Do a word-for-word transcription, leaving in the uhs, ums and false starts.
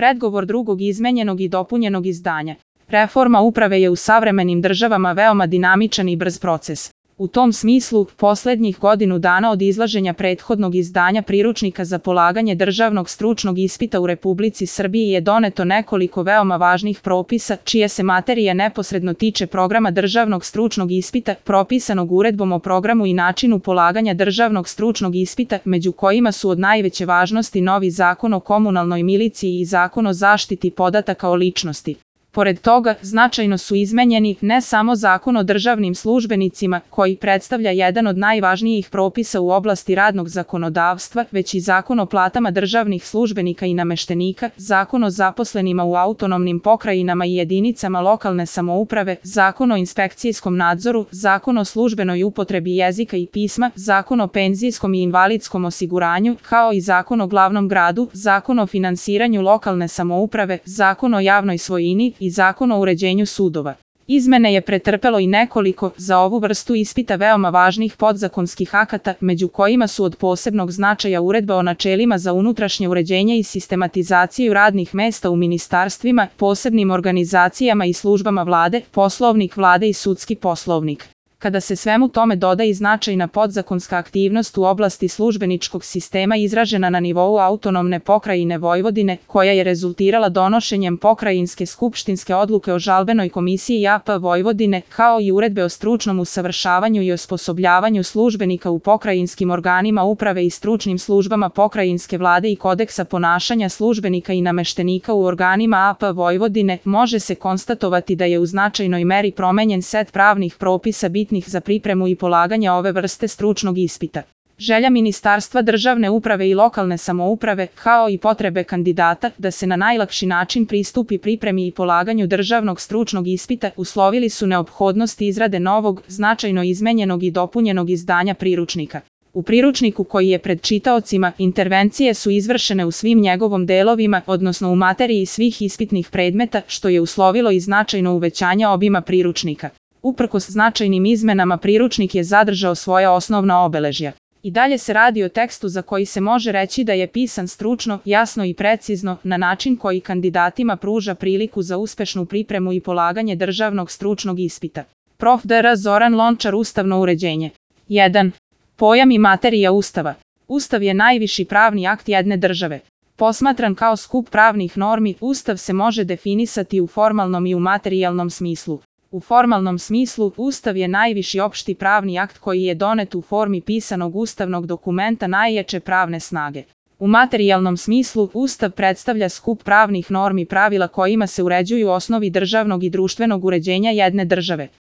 predgovor drugog izmenjenog i dopunjenog izdanja. Reforma uprave je u savremenim državama veoma dinamičan i brz proces. U tom smislu, poslednjih godinu dana od izlaženja prethodnog izdanja priručnika za polaganje državnog stručnog ispita u Republici Srbiji je doneto nekoliko veoma važnih propisa, čije se materija neposredno tiče programa državnog stručnog ispita, propisanog uredbom o programu i načinu polaganja državnog stručnog ispita, među kojima su od najveće važnosti novi Zakon o komunalnoj miliciji i Zakon o zaštiti podataka o ličnosti. Pored toga, značajno su izmenjeni ne samo Zakon o državnim službenicima, koji predstavlja jedan od najvažnijih propisa u oblasti radnog zakonodavstva, već i Zakon o platama državnih službenika i nameštenika, Zakon o zaposlenima u autonomnim pokrajinama i jedinicama lokalne samouprave, Zakon o inspekcijskom nadzoru, Zakon o službenoj upotrebi jezika i pisma, Zakon o penzijskom i invalidskom osiguranju, kao i Zakon o glavnom gradu, Zakon o finansiranju lokalne samouprave, Zakon o javnoj svojini i Zakon o uređenju sudova. Izmene je pretrpelo i nekoliko, za ovu vrstu ispita veoma važnih podzakonskih akata, među kojima su od posebnog značaja Uredba o načelima za unutrašnje uređenje i sistematizaciju radnih mesta u ministarstvima, posebnim organizacijama i službama vlade, Poslovnik vlade i Sudski poslovnik. Kada se svemu tome doda i značajna podzakonska aktivnost u oblasti službeničkog sistema izražena na nivou autonomne pokrajine Vojvodine, koja je rezultirala donošenjem pokrajinske skupštinske odluke o žalbenoj komisiji A P Vojvodine, kao i uredbe o stručnom usavršavanju i osposobljavanju službenika u pokrajinskim organima uprave i stručnim službama pokrajinske vlade i kodeksa ponašanja službenika i nameštenika u organima A P Vojvodine, može se konstatovati da je u značajnoj meri promenjen set pravnih propisa bitnih za pripremu i polaganje ove vrste stručnog ispita. Želja Ministarstva državne uprave i lokalne samouprave, kao i potrebe kandidata da se na najlakši način pristupi pripremi i polaganju državnog stručnog ispita, uslovili su neophodnost izrade novog, značajno izmenjenog i dopunjenog izdanja priručnika. U priručniku koji je pred čitaocima, intervencije su izvršene u svim njegovom delovima, odnosno u materiji svih ispitnih predmeta, što je uslovilo i značajno uvećanje obima priručnika. Uprkos značajnim izmenama priručnik je zadržao svoja osnovna obeležja. I dalje se radi o tekstu za koji se može reći da je pisan stručno, jasno i precizno, na način koji kandidatima pruža priliku za uspešnu pripremu i polaganje državnog stručnog ispita. Prof dr Zoran Lončar. Ustavno uređenje. jedan. Pojam i materija Ustava. Ustav je najviši pravni akt jedne države. Posmatran kao skup pravnih normi, Ustav se može definisati u formalnom i u materijalnom smislu. U formalnom smislu, Ustav je najviši opšti pravni akt koji je donet u formi pisanog ustavnog dokumenta najjače pravne snage. U materijalnom smislu, Ustav predstavlja skup pravnih normi pravila kojima se uređuju osnovi državnog i društvenog uređenja jedne države.